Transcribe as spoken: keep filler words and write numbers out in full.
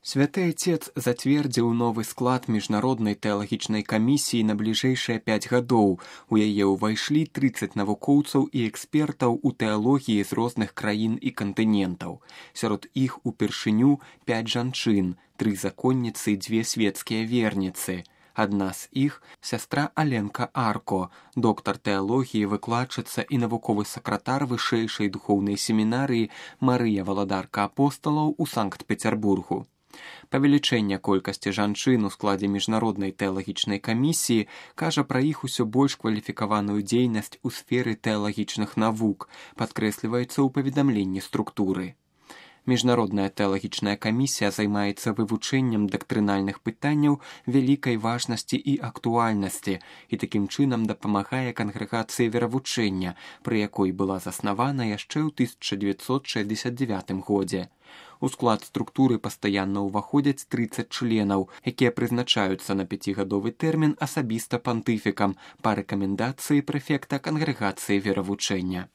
Святы Отец зацвердзіў новы склад міжнароднай тэалагічнай камісіі на бліжэйшыя пяць гадоў. У яе ўвайшлі трыццаць навукоўцаў і экспертаў у тэалогіі з розных краін і кантынентаў. Сярод іх упершыню пяць жанчын, тры законніцы і дзве свецкія верніцы. Адна з іх – сястра Аленка Арко, доктар тэалогіі, выкладчыца і навуковы сакратар вышэйшай духоўнай семінарыі Марыя Валадарка Апосталаў у Санкт-Пецярбургу. Павелічэнне колькасці жанчын у складзе міжнароднай тэалагічнай камісіі кажа пра іх усё больш кваліфікаваную дзейнасць у сферы тэалагічных навук, падкрэсліваецца ў паведамленні структуры. Міжнародная тэалагічная камісія займаецца вывучэннем дактрынальных пытанняў вялікай важнасці і актуальнасці і такім чынам дапамагае кангрэгацыі веравучэння, пры якой была заснавана яшчэ ў тысяча дзевяцьсот шэсцьдзесят дзевятым годзе. У склад структуры пастаянна ўваходзяць трыццаць членаў, якія прызначаюцца на пяцігадовы тэрмін асабіста пантыфікам па рэкамендацыі прэфекта кангрэгацыі веравучэння.